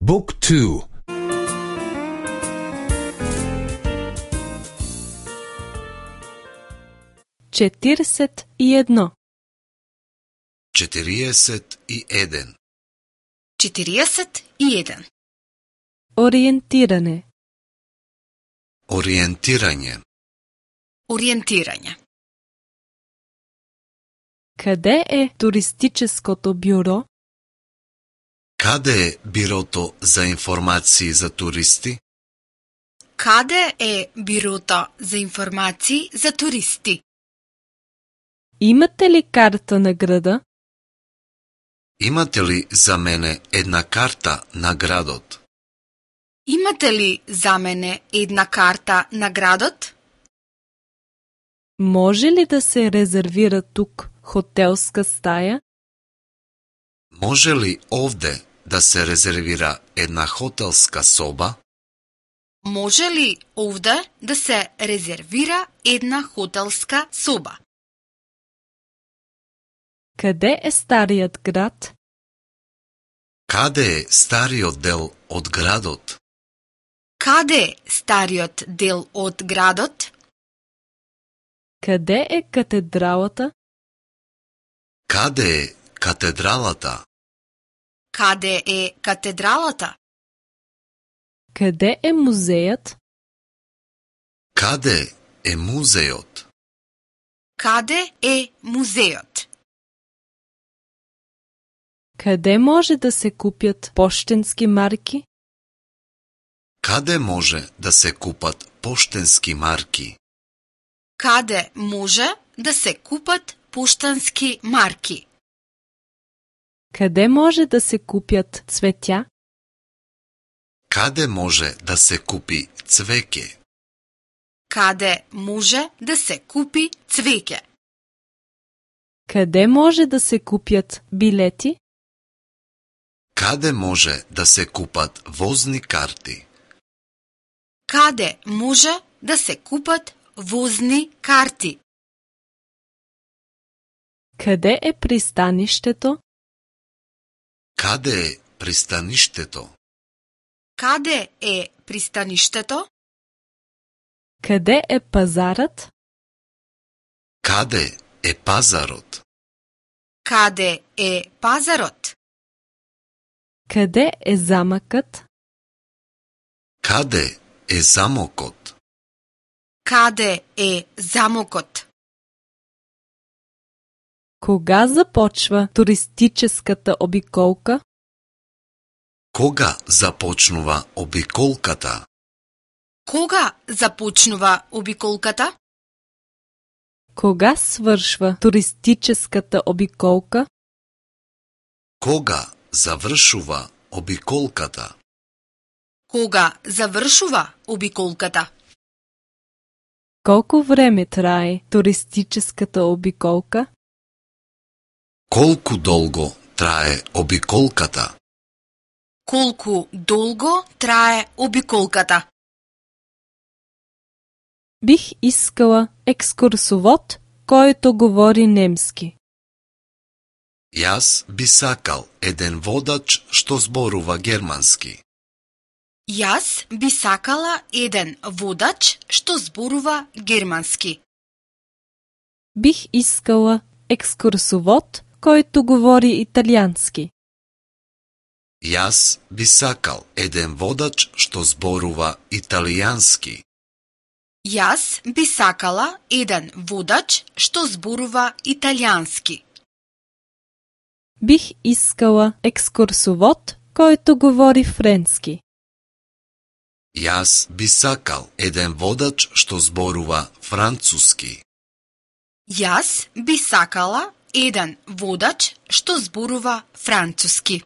Book 2. 41. 41. 41. Ориентиране. Ориентирање. Ориентирање. Къде е туристическото бюро? Каде е бирото за информации за туристи? Каде е бирото за информации за туристи? Имате ли карта на града? Имате ли за мене една карта на градот? Имате ли за мене една карта на градот? Може ли да се резервира тук хотелска стая? Може ли овде да се резервира една хотелска соба? Може ли овде да се резервира една хотелска соба? Къде е старият град? Каде е стариот дел од градот? Каде е стариот дел од градот? Къде е катедралата? Каде е катедралата? Каде е катедралата? Къде е музеят? Каде е музеот? Каде е музеот? Къде може да се купят пощенски марки? Каде може да се купат поштенски марки? Каде може да се купат поштански марки? Къде може да се купят цветя? Каде може да се купи цвеќе? Каде може да се купи цвеќе? Къде може да се купят билети? Каде може да се купат возни карти? Каде може да се купат возни карти? Къде е пристанището? Каде е пристаништето? Каде е пристаништето? Къде е пазарът? Каде е пазарот? Каде е пазарот? Къде е замъкът? Каде е замокот? Каде е замокот? Кога започва туристическата обиколка? Кога започнува обиколката? Кога започнува обиколката? Кога свършва туристическата обиколка? Кога завршува обиколката? Кога завршува обиколката? Колко време трае туристическата обиколка? Колку долго трае обиколката? Колку долго трае обиколката? Бих искала екскурсовод, който говори немски. Јас би сакал еден водач што зборува германски. Јас би сакала еден водач што зборува германски. Бих искала екскурсовод, който говори италиански. Јас би сакал еден водач што зборува италијански. Јас би сакала еден водач што зборува италијански. Бих искала екскурсовод, който говори френски. Јас би сакал еден водач што зборува француски. Јас би сакала еден водач што зборува француски.